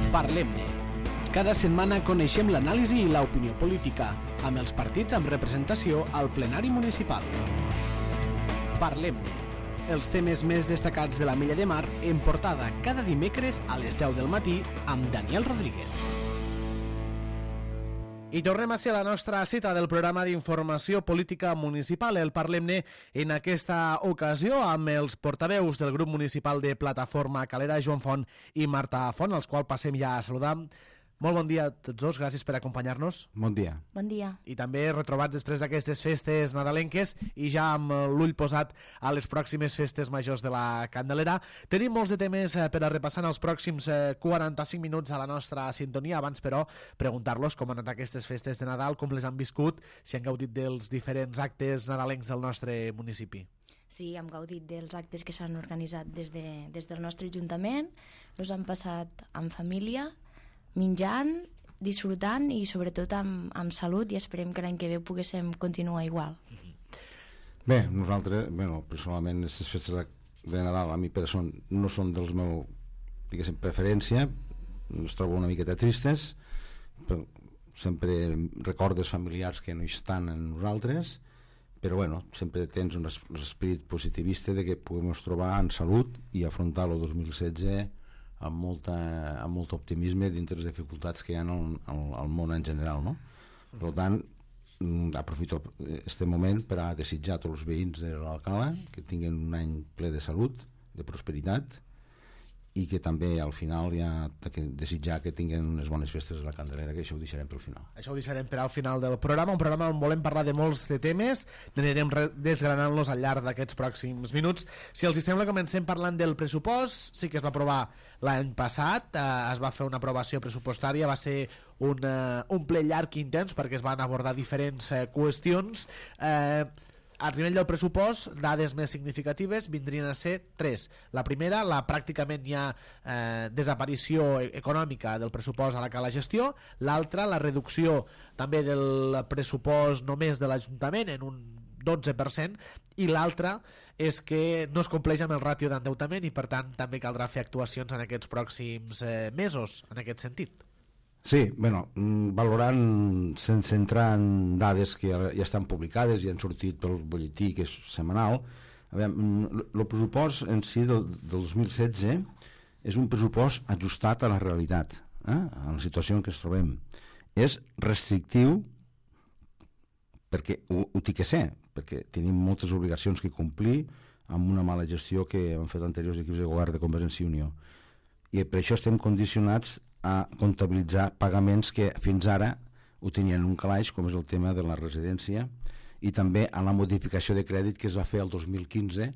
Parlem-ne. Cada setmana coneixem l'anàlisi i l'opinió política, amb els partits amb representació al plenari municipal. Parlem-ne. Els temes més destacats de la Mella de Mar en portada cada dimecres a les 10 del matí amb Daniel Rodríguez. I tornem a ser a la nostra cita del programa d'informació política municipal, el Parlem-ne, en aquesta ocasió amb els portaveus del grup municipal de Plataforma Calera, Joan Font i Marta Font, als quals passem ja a saludar. Molt bon dia a tots dos, gràcies per acompanyar-nos. Bon dia. Bon dia. I també retrobats després d'aquestes festes nadalenques i ja amb l'ull posat a les pròximes festes majors de la Candelera. Tenim molts de temes per a repassar en els pròxims 45 minuts a la nostra sintonia. Abans, però, preguntar-los com han anat aquestes festes de Nadal, com les han viscut, si han gaudit dels diferents actes nadalencs del nostre municipi. Sí, hem gaudit dels actes que s'han organitzat des del nostre ajuntament, els han passat en família, menjant, disfrutant i sobretot amb salut, i esperem que l'any que ve poguéssim continuar igual. Bé, nosaltres, personalment, aquestes festes de Nadal a mi no són dels meus, diguéssim, preferència, ens trobo una miqueta tristes, però sempre recordes familiars que no hi estan en nosaltres, però sempre tens un esperit positivista de que puguem trobar en salut i afrontar el 2016 amb molt optimisme dintre les dificultats que hi ha al món en general, no? Per tant, aprofito aquest moment per a desitjar a tots els veïns de l'Alcalà que tinguin un any ple de salut, de prosperitat, i que també al final desitjar que tinguin unes bones festes de la Candelera, que això ho deixarem pel final. Això ho deixarem per al final del programa, un programa on volem parlar de molts de temes, anirem desgranant-los al llarg d'aquests pròxims minuts. Si els hi sembla, comencem parlant del pressupost. Sí que es va aprovar l'any passat, es va fer una aprovació pressupostària, va ser un ple llarg i intens perquè es van abordar diferents qüestions. Al nivell del pressupost, dades més significatives vindrien a ser 3. La primera, la pràcticament hi ha desaparició econòmica del pressupost a la gestió. L'altra, la reducció també del pressupost només de l'Ajuntament en un 12%, i l'altra és que no es compleix amb el ràtio d'endeutament i per tant també caldrà fer actuacions en aquests pròxims mesos en aquest sentit. Sí, valorant sense entrar en dades que ja estan publicades i han sortit pel butlletí, que és setmanal, el pressupost en si del 2016 és un pressupost ajustat a la realitat, a la situació en què ens trobem. És restrictiu perquè ho té que ser, perquè tenim moltes obligacions que complir amb una mala gestió que han fet anteriors equips de govern de Convergència i Unió. I per això estem condicionats a comptabilitzar pagaments que fins ara ho tenien en un calaix, com és el tema de la residència, i també a la modificació de crèdit que es va fer el 2015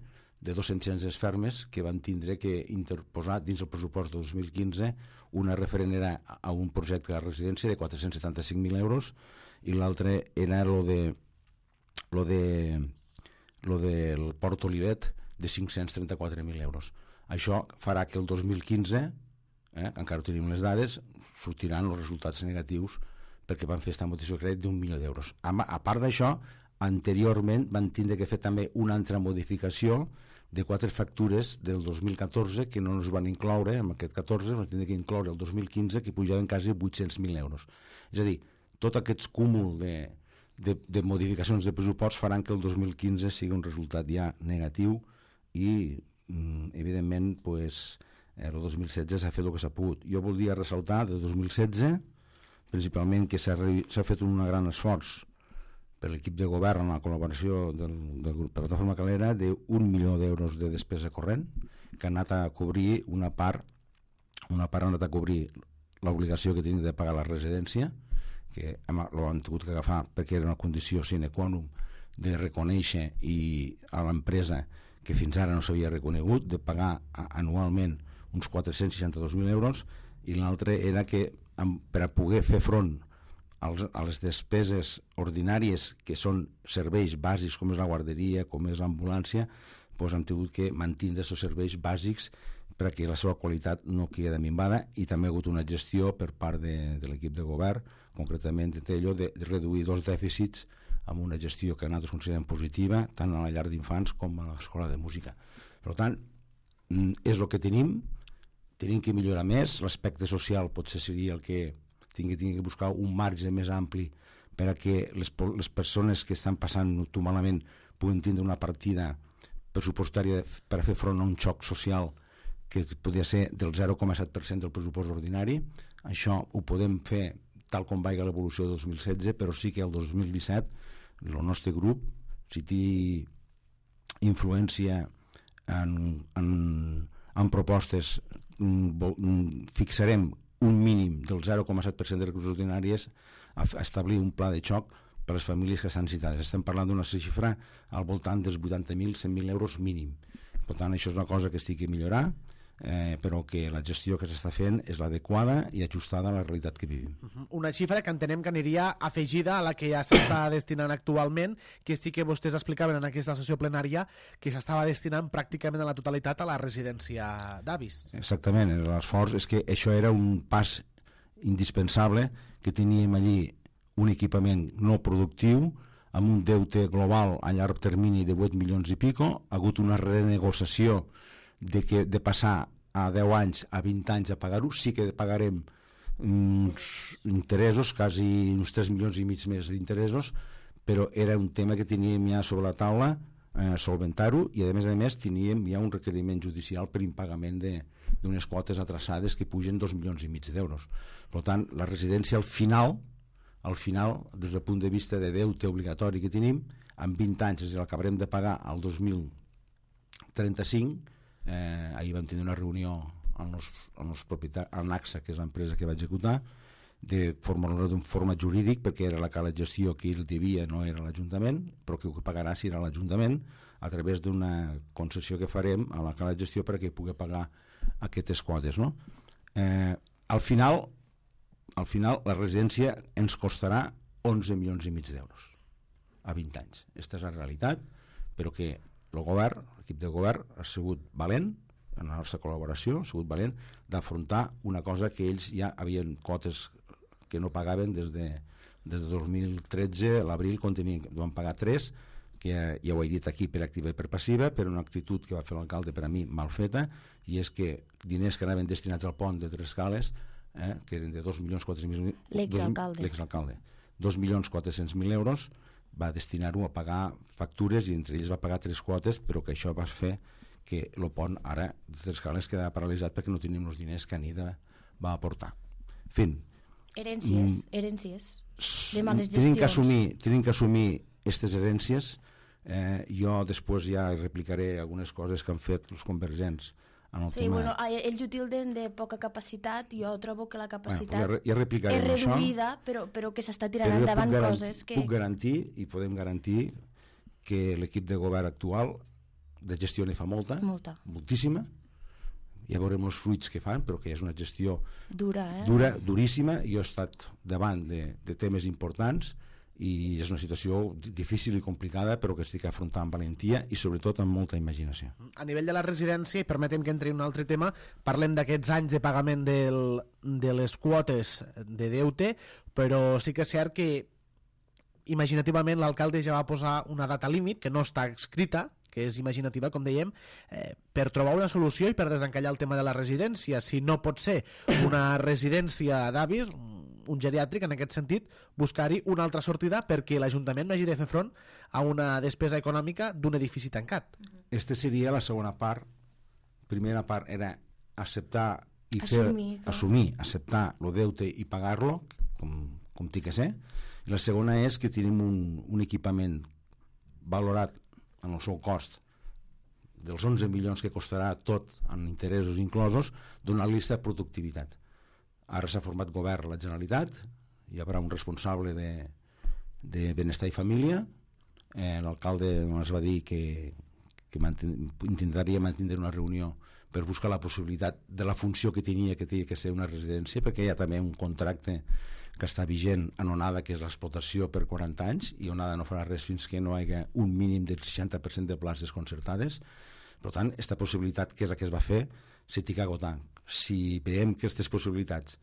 de 2 centenars fermes que van tindre que interposar dins el pressupost de 2015. Una referent era a un projecte de residència de 475.000 euros i l'altre era lo del Port Olivet de 534.000 euros. Això farà que el 2015, encara no tenim les dades, sortiran els resultats negatius perquè van fer aquesta modificació de crèdit d'1 milió d'euros. A part d'això, anteriorment van tindre que fer també una altra modificació de 4 factures del 2014 que no ens van incloure en aquest 14, van tindre que incloure el 2015 que pujaven quasi 800.000 euros. És a dir, tot aquest cúmul de modificacions de pressupost faran que el 2015 sigui un resultat ja negatiu i evidentment el 2016 s'ha fet el que s'ha pogut. Jo voldria ressaltar del 2016 principalment que s'ha fet un gran esforç per l'equip de govern en la col·laboració del grup Plataforma Calera d'1 milió d'euros de despesa corrent que ha anat a cobrir una part ha anat a cobrir l'obligació que tenia de pagar la residència, que l'han tingut que agafar perquè era una condició sine qua non de reconèixer a l'empresa que fins ara no s'havia reconegut, de pagar anualment uns 462.000 euros, i l'altre era que per a poder fer front a les despeses ordinàries que són serveis bàsics com és la guarderia, com és l'ambulància, han tingut que mantenir aquests serveis bàsics perquè la seva qualitat no queda minvada, i també ha hagut una gestió per part de l'equip de govern, concretament de reduir 2 dèficits amb una gestió que nosaltres considerem positiva tant a la llar d'infants com a l'escola de música. Per tant, és el que tenim tenim que millorar més. L'aspecte social potser seria el que tingui que buscar un marge més ampli per a que les persones que estan passant-ho malament puguin tindre una partida pressupostària per a fer front a un xoc social que podria ser del 0,7% del pressupost ordinari. Això ho podem fer tal com vaiga l'evolució del 2016, però sí que el 2017 el nostre grup, si té influència en propostes, fixarem un mínim del 0,7% de recursos ordinaris a establir un pla de xoc per a les famílies que estan citades. Estem parlant d'una xifra al voltant dels 80.000, 100.000 euros mínim. Per tant, això és una cosa que estic a millorar, però que la gestió que s'està fent és l'adequada i ajustada a la realitat que vivim. Una xifra que entenem que aniria afegida a la que ja s'està destinant actualment, que sí que vostès explicaven en aquesta sessió plenària que s'estava destinant pràcticament a la totalitat a la residència d'avis. Exactament, l'esforç és que això era un pas indispensable, que teníem allí un equipament no productiu amb un deute global a llarg termini de 8 milions i pico. Ha hagut una renegociació de passar a 10 anys a 20 anys a pagar-ho. Sí que pagarem uns interessos, quasi uns 3 milions i mig més d'interessos, però era un tema que teníem ja sobre la taula, solventar-ho, i a més teníem ja un requeriment judicial per impagament d'unes quotes atrasades que pugen 2 milions i mig d'euros. Per tant, la residència al final, des del punt de vista de deute obligatori que tenim, en 20 anys, és a dir, l'acabarem de pagar al 2035. Ahir vam tenir una reunió amb els propietaris, amb AXA, que és l'empresa que va executar, de forma jurídic, perquè era la cala de gestió que el devia, no era l'Ajuntament, però que ho pagarà si era l'Ajuntament, a través d'una concessió que farem a la cala de gestió perquè pugui pagar aquestes quotes, no? Al final la residència ens costarà 11 milions i mig d'euros a 20 anys. Aquesta és la realitat, però que l'equip de govern ha sigut valent, en la nostra col·laboració ha sigut valent d'afrontar una cosa que ells ja havien quotes que no pagaven des de 2013, a l'abril, quan van pagar 3, que ja ho he dit aquí per activa i per passiva, per una actitud que va fer l'alcalde per a mi mal feta, i és que diners que anaven destinats al pont de Tres Cales, que eren de 2.400.000 l'exalcalde, 2.400.000 euros, va destinar-ho a pagar factures, i entre ells va pagar 3 quotes, però que això va fer que el pont ara de Tres Cales quedava paralitzat perquè no tenim els diners que Anida va aportar. Fin. Herències de males gestions. Tenim que assumir aquestes herències. Jo després ja replicaré algunes coses que han fet els convergents en el tema. Bueno, ells ho tilden de poca capacitat. Jo trobo que la capacitat ja és reduïda, però que s'està tirant endavant coses que... Puc garantir, i podem garantir, que l'equip de govern actual de gestió ne fa moltíssima. Ja veurem els fruits que fan, però que és una gestió dura, duríssima. Jo he estat davant de temes importants i és una situació difícil i complicada, però que estic afrontant amb valentia i sobretot amb molta imaginació. A nivell de la residència, i permetem que entri un altre tema, parlem d'aquests anys de pagament de les quotes de deute, però sí que és cert que imaginativament l'alcalde ja va posar una data límit que no està escrita, que és imaginativa, com dèiem, per trobar una solució i per desencallar el tema de la residència. Si no pot ser una residència d'avis, un geriàtric, en aquest sentit, buscar-hi una altra sortida perquè l'Ajuntament no hagi de fer front a una despesa econòmica d'un edifici tancat. Aquesta seria la segona part. Primera part era acceptar i assumir, acceptar el deute i pagar-lo, com té que ser. I la segona és que tenim un equipament valorat en el seu cost dels 11 milions que costarà tot en interessos inclosos, donar-li aquesta productivitat. Ara s'ha format govern a la Generalitat, hi haurà un responsable de benestar i família. L'alcalde ens va dir que intentaria mantenir una reunió per buscar la possibilitat de la funció que tenia que ser una residència, perquè hi ha també un contracte que està vigent en Onada, que és l'explotació per 40 anys, i Onada no farà res fins que no hi hagi un mínim del 60% de places concertades. Per tant, aquesta possibilitat, que és la que es va fer, s'ha d'agotar. Si veiem que aquestes possibilitats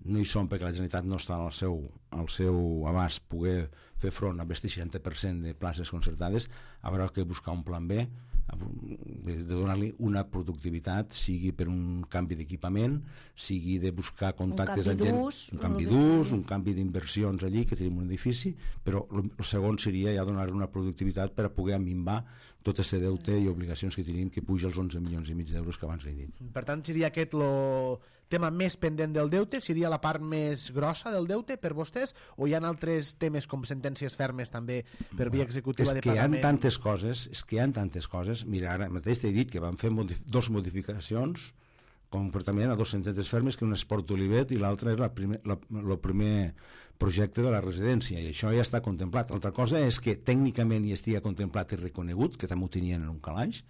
no hi són perquè la Generalitat no està al seu abast poder fer front a aquest 60% de places concertades, haurà que buscar un plan B de donar-li una productivitat, sigui per un canvi d'equipament, sigui de buscar contactes amb gent, un canvi d'ús, un canvi d'inversions allí, que tenim un edifici, però el segon seria ja donar-li una productivitat per a poder minvar tot aquest deute i obligacions que tenim, que puja als 11 milions i mig d'euros que abans he dit. Per tant, seria aquest el tema més pendent del deute? Seria la part més grossa del deute per vostès? O hi ha altres temes com sentències fermes també per via executiva de pagament? És que hi ha tantes coses. Mira, ara mateix t'he dit que vam fer dos modificacions concretament a dos sentències fermes, que una és Port Olivet i l'altra és el primer projecte de la residència, i això ja està contemplat. L'altra cosa és que tècnicament hi estigui contemplat i reconegut, que també ho tenien en un calaix,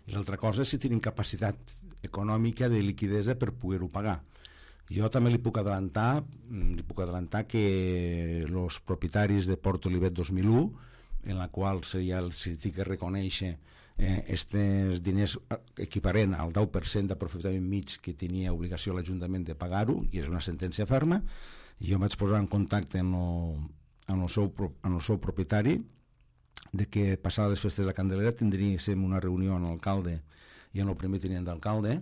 i l'altra cosa és si tenen capacitat econòmica de liquidesa per poder-ho pagar. Jo també li puc adelantar que els propietaris de Port Olivet 2001, en la qual seria el CITI que reconèixer aquests diners equiparent al 10% d'aprofitament mig que tenia obligació l'Ajuntament de pagar-ho, i és una sentència ferma, i jo em vaig posar en contacte amb el seu propietari de que passada les festes de Candelera tindríem una reunió amb l'alcalde i amb el primer tinent d'alcalde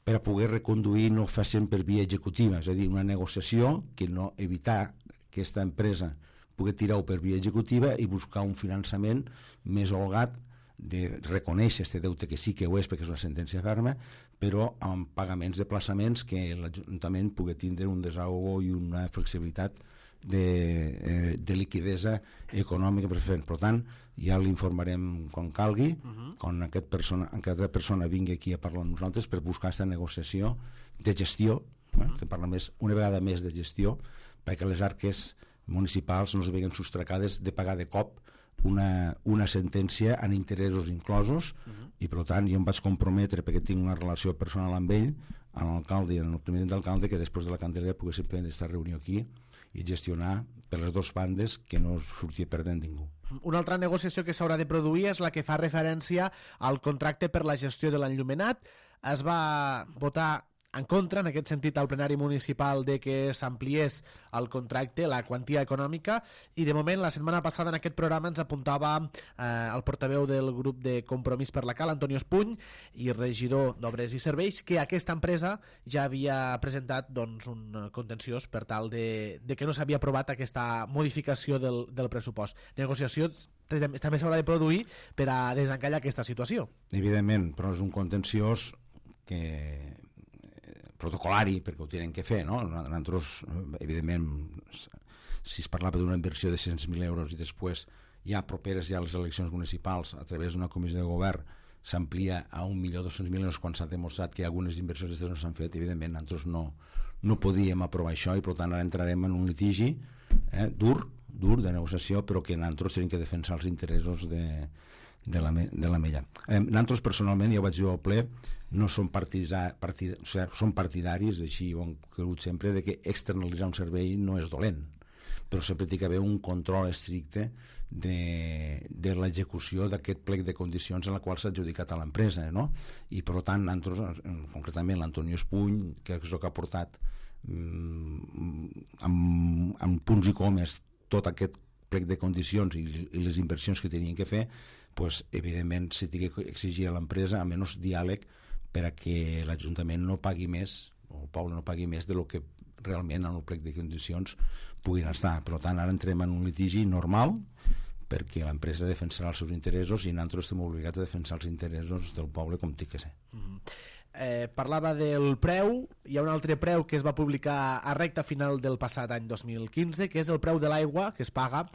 per a poder reconduir, no facin per via executiva, és a dir, una negociació que no evitar que aquesta empresa pugui tirar-ho per via executiva i buscar un finançament més holgat, de reconèixer aquest deute, que sí que ho és perquè és una sentència ferma, però amb pagaments de plaçaments que l'Ajuntament pugui tindre un desahogo i una flexibilitat de liquidesa econòmica per fer. Per tant, ja l'informarem quan calgui, quan aquesta persona vingui aquí a parlar amb nosaltres per buscar aquesta negociació de gestió, estem parlant una vegada més de gestió, perquè les arques municipals no es veguen sostracades de pagar de cop una sentència en interessos inclosos, i per tant jo em vaig comprometre, perquè tinc una relació personal amb ell, amb l'alcalde i amb el primer d'alcalde, que després de la Candelera poguéssim prendre aquesta reunió aquí i gestionar per les dues bandes, que no sortia perdent ningú. Una altra negociació que s'haurà de produir és la que fa referència al contracte per la gestió de l'enllumenat. Es va votar en contra, en aquest sentit, al plenari municipal de que s'ampliés el contracte, la quantia econòmica, i de moment la setmana passada en aquest programa ens apuntava el portaveu del grup de Compromís per la Cal, Antonio Espuny, i regidor d'Obres i Serveis, que aquesta empresa ja havia presentat un contenciós per tal de que no s'havia aprovat aquesta modificació del pressupost. Negociacions també s'haurà de produir per a desencallar aquesta situació. Evidentment, però és un contenciós que protocolari, perquè ho tenen que fer, no? Nosaltres, evidentment, si es parlava d'una inversió de 100.000 euros i després ja properes ja a les eleccions municipals a través d'una comissió de govern s'amplia a 1.200.000 euros quan s'ha demostrat que algunes inversions no s'han fet, evidentment nosaltres no podíem aprovar això, i per tant ara entrarem en un litigi dur de negociació, però que nosaltres tenim que defensar els interessos de la Mella. Nosaltres personalment, ja ho vaig dir al ple, no som som partidaris, així ho hem cregut sempre, de que externalitzar un servei no és dolent, però sempre té que haver un control estricte de l'execució d'aquest plec de condicions en la qual s'ha adjudicat a l'empresa, no? I per tant, nosaltres, concretament l'Antonio Espuny, que és el que ha portat amb punts i comes tot aquest plec de condicions i les inversions que tenien que fer, doncs, evidentment se té que exigir a l'empresa a menys diàleg per a que l'Ajuntament no pagui més, o el poble no pagui més de lo que realment en el plec de condicions puguin estar. Per tant, ara entrem en un litigi normal, perquè l'empresa defensarà els seus interessos i nosaltres estem obligats a defensar els interessos del poble com té que ser. Parlava del preu. Hi ha un altre preu que es va publicar a recta final del passat any 2015, que és el preu de l'aigua que es paga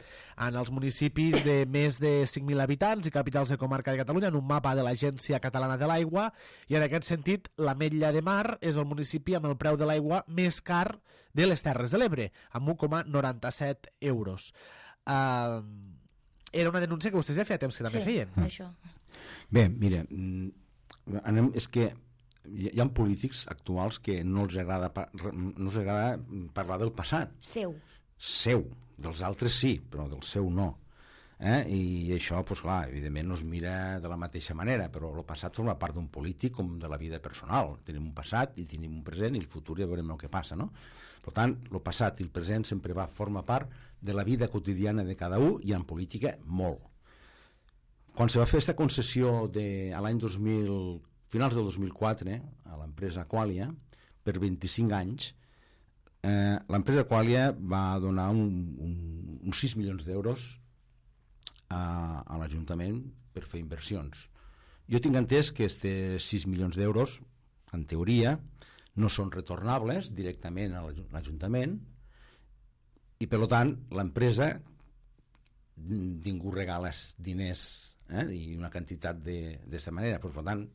en els municipis de més de 5.000 habitants i capitals de comarca de Catalunya, en un mapa de l'Agència Catalana de l'Aigua, i en aquest sentit l'Ametlla de Mar és el municipi amb el preu de l'aigua més car de les Terres de l'Ebre, amb 1,97 euros. Era una denúncia que vostès ja feia temps que també feien. Sí, això. Bé, mira, és que hi ha polítics actuals que no els agrada parlar del passat. Seu. Dels altres sí, però del seu no. I això, doncs clar, evidentment no es mira de la mateixa manera, però el passat forma part d'un polític com de la vida personal. Tenim un passat i tenim un present i el futur ja veurem el que passa, no? Per tant, el passat i el present sempre forma part de la vida quotidiana de cada un, i en política molt. Quan se va fer aquesta concessió a l'any 2000, finals del 2004, a l'empresa Aqualia, per 25 anys, l'empresa Aqualia va donar uns 6 milions d'euros a l'Ajuntament per fer inversions. Jo tinc entès que aquests 6 milions d'euros, en teoria, no són retornables directament a l'Ajuntament i, per tant, l'empresa ningú regala diners i una quantitat d'aquesta manera. Per tant,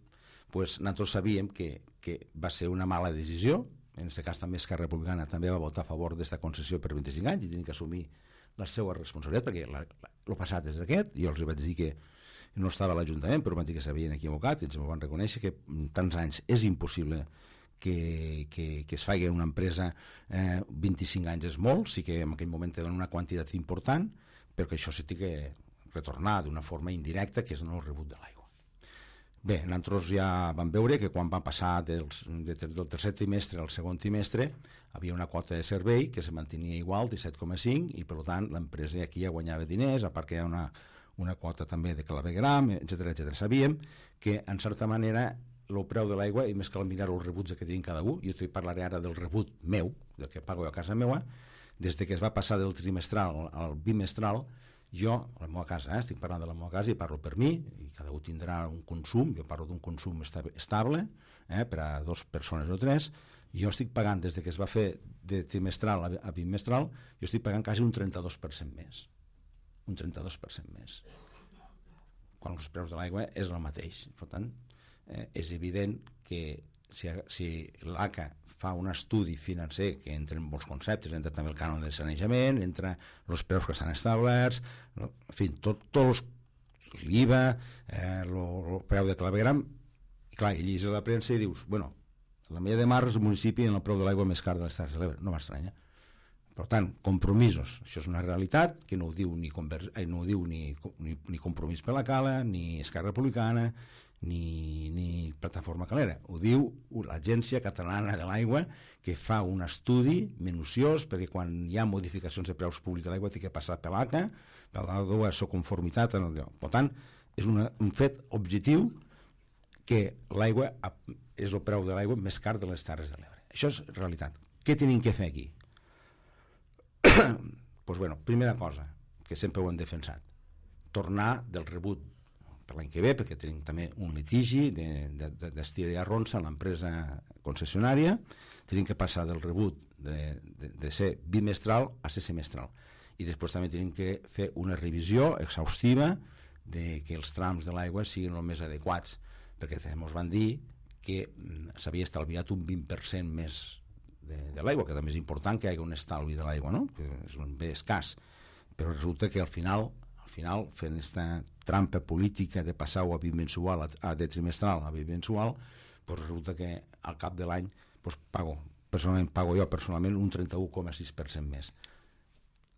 nosaltres sabíem que va ser una mala decisió. En aquest cas també Esquerra Republicana també va votar a favor d'aquesta concessió per 25 anys i tenien que assumir la seva responsabilitat, perquè el passat és aquest. Jo els vaig dir que no estava a l'Ajuntament, però van dir que s'havien equivocat i ens ho van reconèixer, que en tants anys és impossible que es faci una empresa. 25 anys és molt, sí que en aquell moment te donen una quantitat important, però que això s'ha de retornar d'una forma indirecta, que és el rebut de l'aigua. Bé, nosaltres ja vam veure que quan va passar del tercer trimestre al segon trimestre havia una quota de servei que se mantenia igual, 17,5, i per tant l'empresa aquí ja guanyava diners, a part que hi ha una quota també de clavegram, etc. Sabíem que, en certa manera, el preu de l'aigua, i més que mirar els rebuts que tenim cada un, jo parlaré ara del rebut meu, del que pago a casa meva, des que es va passar del trimestral al bimestral, jo, a la meva casa, estic parlant de la meva casa i parlo per mi, i cada un tindrà un consum, jo parlo d'un consum estable, per a 2 persones o 3, jo estic pagant, des que es va fer de trimestral a bimestral, jo estic pagant quasi un 32% més. Un 32% més. Quan els preus de l'aigua és el mateix. Per tant, és evident que si l'ACA fa un estudi financer que entra en molts conceptes, entra també el cànon de sanejament, entra els preus que estan establerts, en fi, tots l'IVA, el preu de clavegram, i clar, i llegis a la premsa i dius, bueno, la Mella de Mar és el municipi amb el preu de l'aigua més car de les Terres de l'Ebre, no m'estranya. Per tant, compromisos, això és una realitat que no ho diu ni Compromís per la Cala, ni Esquerra Republicana, ni Plataforma Calera. Ho diu l'Agència Catalana de l'Aigua, que fa un estudi minuciós, perquè quan hi ha modificacions de preus públics de l'aigua té que passar per l'ACA, per la seva conformitat. Per tant, és un fet objectiu que l'aigua és el preu de l'aigua més car de les Terres de l'Ebre. Això és realitat. Què tenim que fer aquí? Doncs, bueno, primera cosa, que sempre ho hem defensat, tornar del rebut per l'any que ve, perquè tenim també un litigi d'Estier i Arronsa a l'empresa concessionària, tenim que passar del rebut de ser bimestral a ser semestral. I després també tenim que fer una revisió exhaustiva de que els trams de l'aigua siguin el més adequats, perquè ens van dir que s'havia estalviat un 20% més de l'aigua, que també és important que hi hagi un estalvi de l'aigua, no? Que és un bé escàs, però resulta que al final fent aquesta trampa política de passar-ho de trimestral a bimensual, doncs resulta que al cap de l'any pago jo personalment un 31,6% més.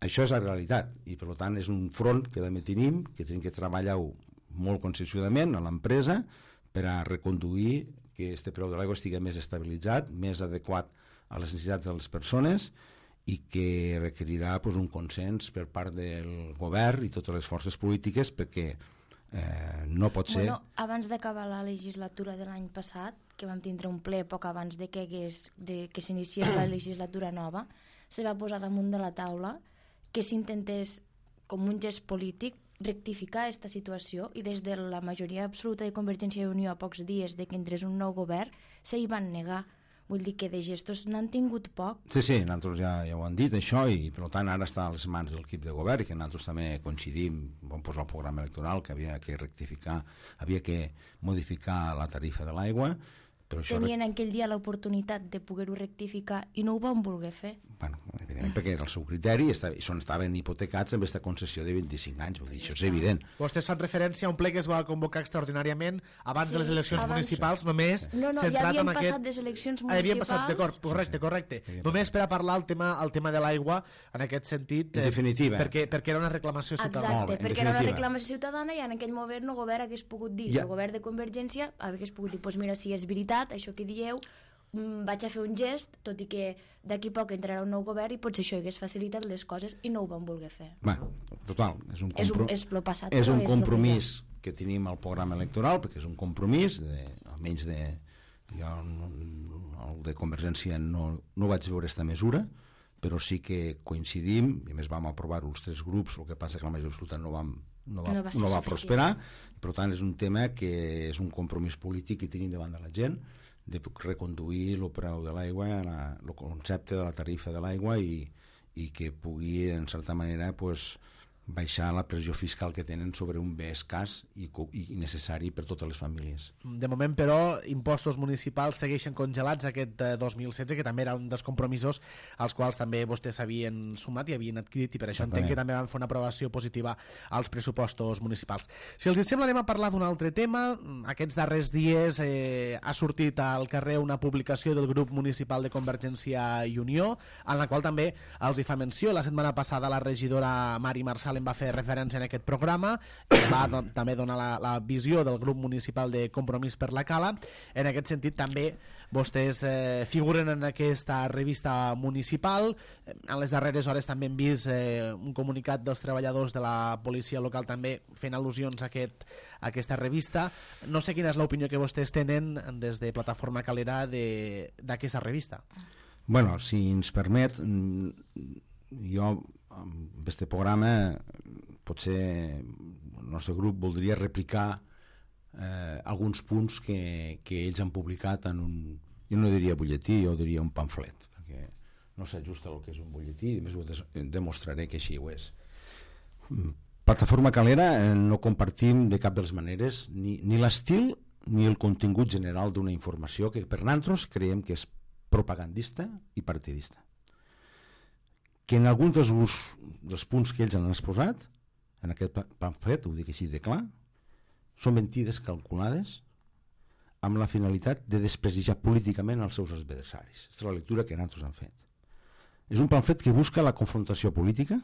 Això és la realitat i per tant és un front que també tenim, que tenim que treballar-ho molt conscienciadament a l'empresa per a reconduir que este preu de l'aigua estigui més estabilitzat, més adequat a les necessitats de les persones i que requerirà un consens per part del govern i totes les forces polítiques, perquè no pot ser... Abans d'acabar la legislatura de l'any passat, que vam tindre un ple poc abans de que s'iniciés la legislatura nova, se va posar damunt de la taula que s'intentés, com un gest polític, rectificar aquesta situació, i des de la majoria absoluta de Convergència i Unió a pocs dies de que entrés un nou govern s'hi van negar. Vull dir que de gestos n'han tingut poc. Sí, nosaltres ja ho han dit, això, i per tant ara està a les mans del equip de govern, i que nosaltres també coincidim, vam posar el programa electoral, que havia que rectificar, havia que modificar la tarifa de l'aigua. Tenien aquell dia l'oportunitat de poder-ho rectificar i no ho van voler fer. Bueno, evidentment, perquè era el seu criteri i estaven hipotecats amb aquesta concessió de 25 anys, vull dir, això és evident. Vostès fan referència a un ple que es va convocar extraordinàriament abans de les eleccions municipals, només centrat ja havien en aquest... passat les eleccions municipals. D'acord, correcte. Només per a parlar el tema de l'aigua, en aquest sentit... En definitiva. Perquè era una reclamació ciutadana. Exacte, perquè era una reclamació ciutadana i en aquell moment el govern hagués pogut dir, el govern de Convergència hagués pogut dir, doncs mira, si és veritat, això que dieu, vaig a fer un gest, tot i que d'aquí poc entrarà un nou govern i potser això hagués facilitat les coses i no ho van voler fer. Total, és un compromís que tenim al programa electoral, perquè és un compromís, almenys jo el de Convergència no vaig veure aquesta mesura, però sí que coincidim, i a més vam aprovar-ho els 3 grups, el que passa que la majoria absoluta no va prosperar, per tant és un tema que és un compromís polític que tenim davant de la gent, de reconduir el preu de l'aigua, el concepte de la tarifa de l'aigua i que pugui, en certa manera, baixar la pressió fiscal que tenen sobre un bé escàs i necessari per totes les famílies. De moment, però, impostos municipals segueixen congelats aquest 2016, que també era un dels compromisos als quals també vostès s'havien sumat i havien adquirit, i per això entenc que també van fer una aprovació positiva als pressupostos municipals. Si els sembla, anem a parlar d'un altre tema. Aquests darrers dies ha sortit al carrer una publicació del grup municipal de Convergència i Unió, en la qual també els hi fa menció. La setmana passada la regidora Mari Marsal en va fer referència en aquest programa, va també donar la visió del grup municipal de Compromís per la Cala. En aquest sentit també vostès figuren en aquesta revista municipal. En les darreres hores també hem vist un comunicat dels treballadors de la policia local també fent al·lusions a aquesta revista. No sé quina és l'opinió que vostès tenen des de Plataforma Calera d'aquesta revista. Bueno, si ens permet, jo amb aquest programa potser el nostre grup voldria replicar alguns punts que ells han publicat en un, jo no diria butlletí, jo diria un pamflet, perquè no s'ajusta el que és un butlletí, i més ho demostraré que així ho és. Plataforma Calera no compartim de cap de les maneres ni l'estil ni el contingut general d'una informació que per nosaltres creiem que és propagandista i partidista, que en alguns dels punts que ells han exposat en aquest pamflet, ho dic així de clar, són mentides calculades amb la finalitat de desprestigiar políticament els seus adversaris. Aquesta és la lectura que nosaltres hem fet. És un pamflet que busca la confrontació política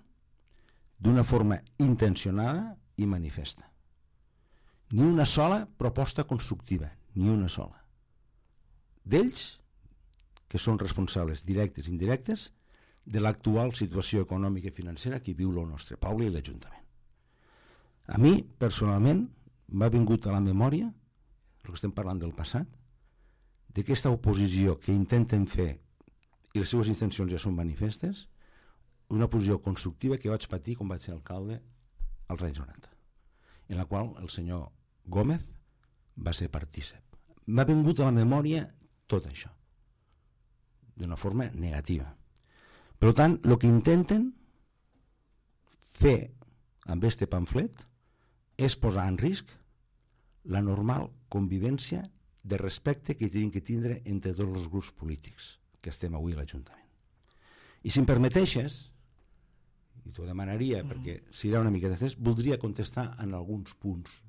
d'una forma intencionada i manifesta. Ni una sola proposta constructiva, ni una sola. D'ells, que són responsables directes i indirectes de l'actual situació econòmica i financera que viu el nostre poble i l'Ajuntament. A mi, personalment, m'ha vingut a la memòria, el que estem parlant del passat, d'aquesta oposició que intenten fer, i les seves intencions ja són manifestes, una oposició constructiva que vaig patir quan vaig ser alcalde als anys 90, en la qual el senyor Gómez va ser partícip. M'ha vingut a la memòria tot això, d'una forma negativa. Per tant, el que intenten fer amb aquest pamflet és posar en risc la normal convivència de respecte que tenim que tindre entre tots els grups polítics que estem avui a l'Ajuntament. I si em permeteixes, i t'ho demanaria perquè serà una mica després, voldria contestar en alguns punts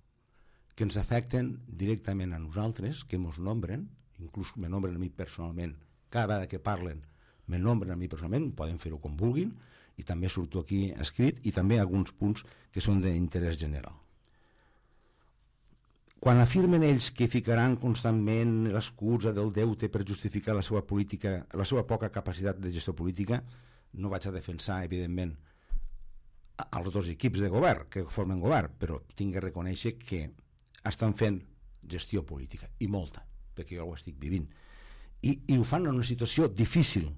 que ens afecten directament a nosaltres, que ens nombren, inclús me nombren a mi personalment, cada vegada que parlen me nombren a mi personalment, poden fer-ho com vulguin, i també surto aquí escrit, i també alguns punts que són d'interès general. Quan afirmen ells que ficaran constantment l'excusa del deute per justificar la seva política, la seva poca capacitat de gestió política, no vaig a defensar, evidentment, els dos equips de govern que formen govern, però tinc que reconèixer que estan fent gestió política, i molta, perquè jo ho estic vivint, i ho fan en una situació difícil.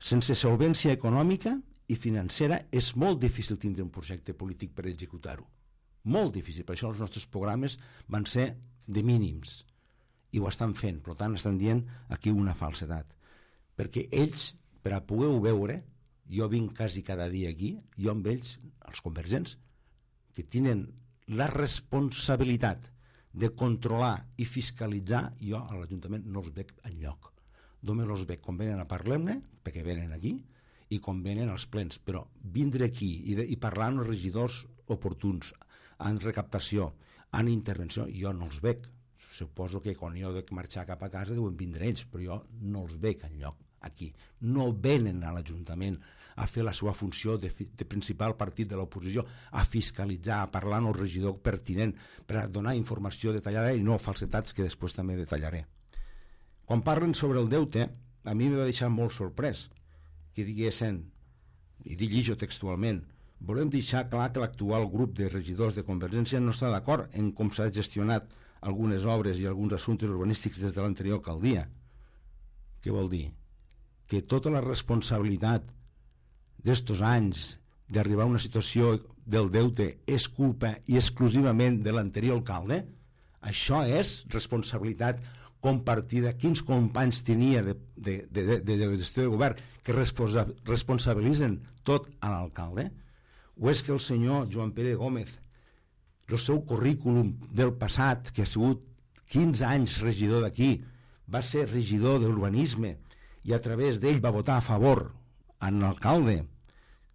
Sense solvència econòmica i financera és molt difícil tindre un projecte polític per executar-ho. Molt difícil. Per això els nostres programes van ser de mínims i ho estan fent. Per tant, estan dient aquí una falsedat. Perquè ells, per a poder-ho veure, jo vinc quasi cada dia aquí, jo amb ells, els convergents, que tenen la responsabilitat de controlar i fiscalitzar, jo a l'Ajuntament no els veig enlloc. Només els veig quan venen a parlar-ne, perquè venen aquí, i quan venen als plens. Però vindre aquí i parlar amb els regidors oportuns, en recaptació, en intervenció, jo no els veig. Suposo que quan jo he de marxar cap a casa deuen vindre ells, però jo no els veig enlloc aquí. No venen a l'Ajuntament a fer la seva funció de principal partit de l'oposició, a fiscalitzar, a parlar amb el regidor pertinent, per a donar informació detallada i no falsetats que després també detallaré. Quan parlen sobre el deute, a mi em va deixar molt sorprès que diguessin, i llegeixo textualment, Volem deixar clar que l'actual grup de regidors de Convergència no està d'acord en com s'ha gestionat algunes obres i alguns assumptes urbanístics des de l'anterior alcaldia. Què vol dir? Que tota la responsabilitat d'estos anys d'arribar a una situació del deute és culpa i exclusivament de l'anterior alcalde? Això és responsabilitat compartida. Quins companys tenia de gestió de govern que responsabilitzen tot a l'alcalde? O és que el senyor Joan Pere Gómez, el seu currículum del passat, que ha sigut 15 anys regidor d'aquí, va ser regidor d'urbanisme i a través d'ell va votar a favor en l'alcalde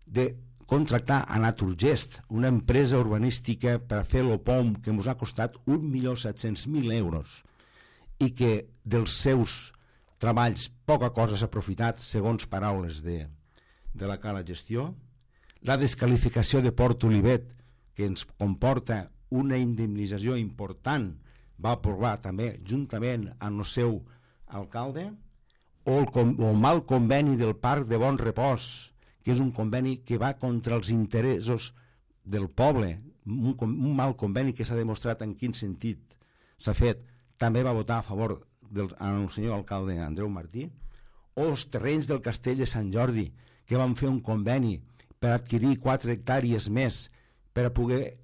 de contractar a Naturgest, una empresa urbanística per a fer l'OPOM que ens ha costat 1.700.000 euros i que dels seus treballs poca cosa s'ha aprofitat, segons paraules de la cala gestió. La descalificació de Port Olivet, que ens comporta una indemnització important, va aprovar també juntament amb el seu alcalde, o el mal conveni del Parc de Bon Repòs, que és un conveni que va contra els interessos del poble, un mal conveni que s'ha demostrat en quin sentit s'ha fet. També va votar a favor del senyor alcalde Andreu Martí, o els terrenys del castell de Sant Jordi, que van fer un conveni per adquirir 4 hectàrees més per a poder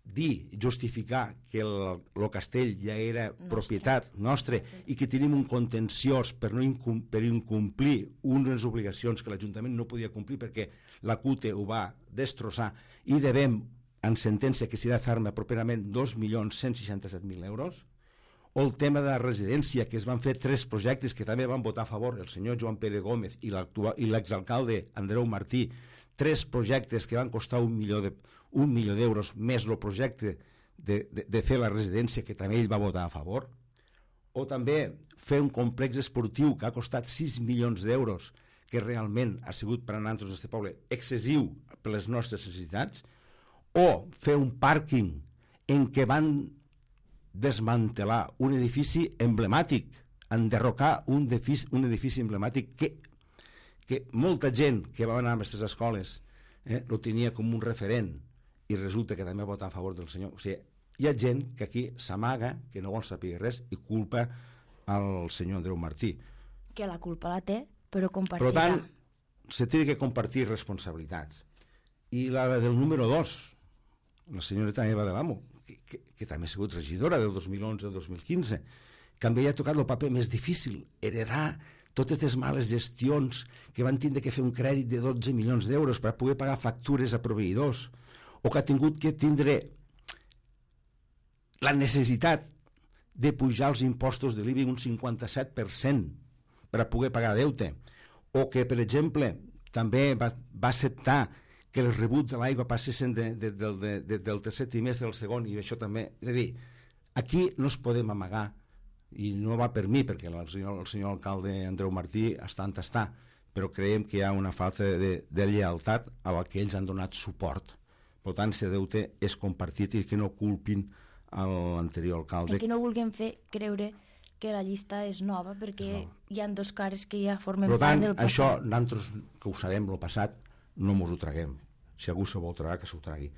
dir, justificar que el castell ja era propietat nostra i que tenim un contenciós per incomplir unes obligacions que l'Ajuntament no podia complir perquè la CUTE ho va destrossar i devem en sentència que serà ferma properament 2.167.000 euros. O el tema de la residència, que es van fer 3 projectes que també van votar a favor el senyor Joan Pere Gómez i l'exalcalde Andreu Martí, 3 projectes que van costar 1 milió d'euros més el projecte de fer la residència que també ell va votar a favor. O també fer un complex esportiu que ha costat 6 milions d'euros, que realment ha sigut per a nosaltres d'aquest poble excessiu per les nostres necessitats. O fer un pàrquing en què van desmantelar un edifici emblemàtic, enderrocar un edifici emblemàtic que molta gent que va anar a aquestes escoles lo tenia com un referent i resulta que també va votar a favor del senyor. O sigui, hi ha gent que aquí s'amaga, que no vol saber res i culpa al senyor Andreu Martí. Que la culpa la té, però compartirà. Per tant, se té que compartir responsabilitats. I la del número 2, la senyoreta Eva de l'Amo, que també ha sigut regidora del 2011 al 2015, que també ha tocat el paper més difícil, heredar totes les males gestions que van tindre que fer un crèdit de 12 milions d'euros per poder pagar factures a proveïdors, o que ha tingut que tindre la necessitat de pujar els impostos de l'IBI un 57% per a poder pagar deute, o que, per exemple, també va acceptar que els rebuts de l'aigua passessin del tercer trimestre al segon, i això també... És a dir, aquí no es podem amagar, i no va per mi, perquè el senyor alcalde Andreu Martí està on està, però creiem que hi ha una falta de lleialtat a la que ells han donat suport. Per tant, aquest deute és compartit i que no culpin a l'anterior alcalde. I que no vulguem fer creure que la llista és nova, perquè hi ha 2 cares que ja formen part del passat. Això, nosaltres que ho sabem, el passat, no mos ho traguem. Si algú se vol tragar, que s'ho tragui.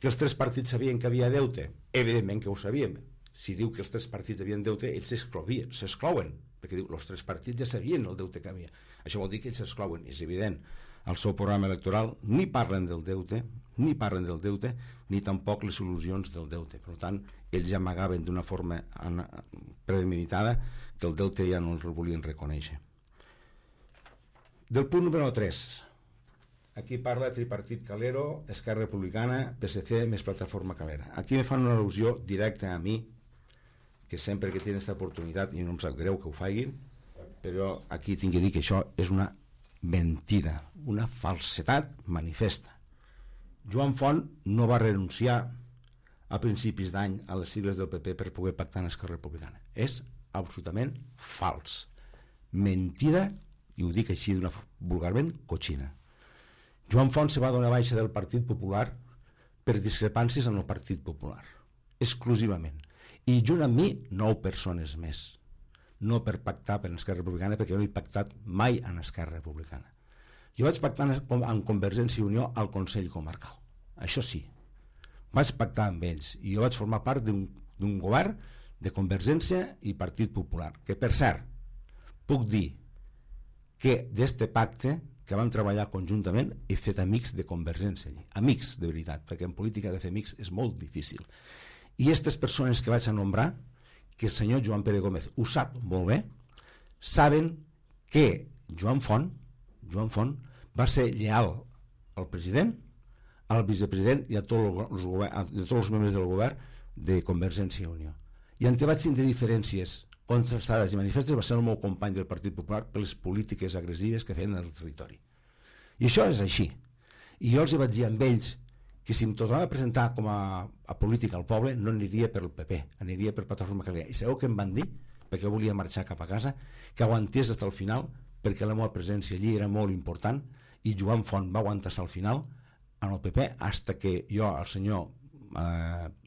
Que els 3 partits sabien que havia deute? Evidentment que ho sabíem. Si diu que els 3 partits havien deute, ells s'exclouen, perquè diu, els 3 partits ja sabien el deute que havia. Això vol dir que ells s'exclouen, és evident. Al seu programa electoral ni parlen del deute, ni tampoc les solucions del deute. Per tant, ells ja amagaven d'una forma premeditada que el deute ja no el volien reconèixer. Del punt número 3, aquí parla tripartit Calero, Esquerra Republicana, PSC més Plataforma Calera. Aquí me fan una al·lusió directa a mi, que sempre que tenen aquesta oportunitat, i no em sap greu que ho facin, però aquí tinc que dir que això és una mentida, una falsedat manifesta. Joan Font no va renunciar a principis d'any a les sigles del PP per poder pactar amb Esquerra Republicana. És absolutament fals. Mentida, i ho dic així vulgarment, cochina. Joan Font se va donar baixa del Partit Popular per discrepàncies amb el Partit Popular, exclusivament. I junt amb mi 9 persones més, no per pactar per Esquerra Republicana, perquè jo no he pactat mai amb Esquerra Republicana. Jo vaig pactar amb Convergència i Unió al Consell Comarcal. Això sí, vaig pactar amb ells i jo vaig formar part d'un govern de Convergència i Partit Popular, que per cert, puc dir que d'este pacte que vam treballar conjuntament he fet amics de Convergència allí, amics de veritat, perquè en política de fer amics és molt difícil. I aquestes persones que vaig a nombrar, que el senyor Joan Pere Gómez ho sap molt bé, saben que Joan Font va ser lleal al president, al vicepresident i a tots els membres del govern de Convergència i Unió. I en què vaig tindre diferències contrastades i manifestes va ser el meu company del Partit Popular per les polítiques agressives que feien al territori. I això és així. I jo els vaig dir amb ells que si em tornava a presentar com a polític al poble no aniria per el PP, aniria per Plataforma Calera. I sabeu què em van dir? Perquè jo volia marxar cap a casa, que aguantés fins al final, perquè la meva presència allí era molt important, i Joan Font va aguantar fins al final en el PP, fins que jo, el senyor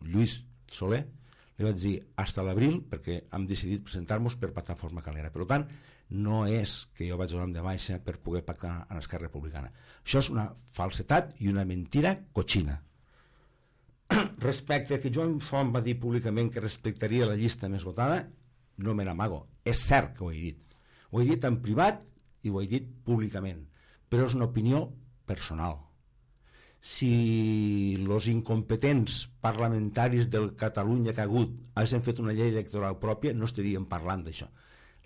Lluís Soler, li vaig dir fins a l'abril, perquè hem decidit presentar-nos per Plataforma Calera. Per tant, no és que jo vaig donar de baixa per poder pactar amb Esquerra Republicana. Això és una falsetat i una mentira cotxina. Respecte a que Joan Font va dir públicament que respectaria la llista més votada, no me n'amago. És cert que ho he dit. Ho he dit en privat i ho he dit públicament, però és una opinió personal. Si els incompetents parlamentaris del Catalunya que ha hagut hagin fet una llei electoral pròpia, no estaríem parlant d'això.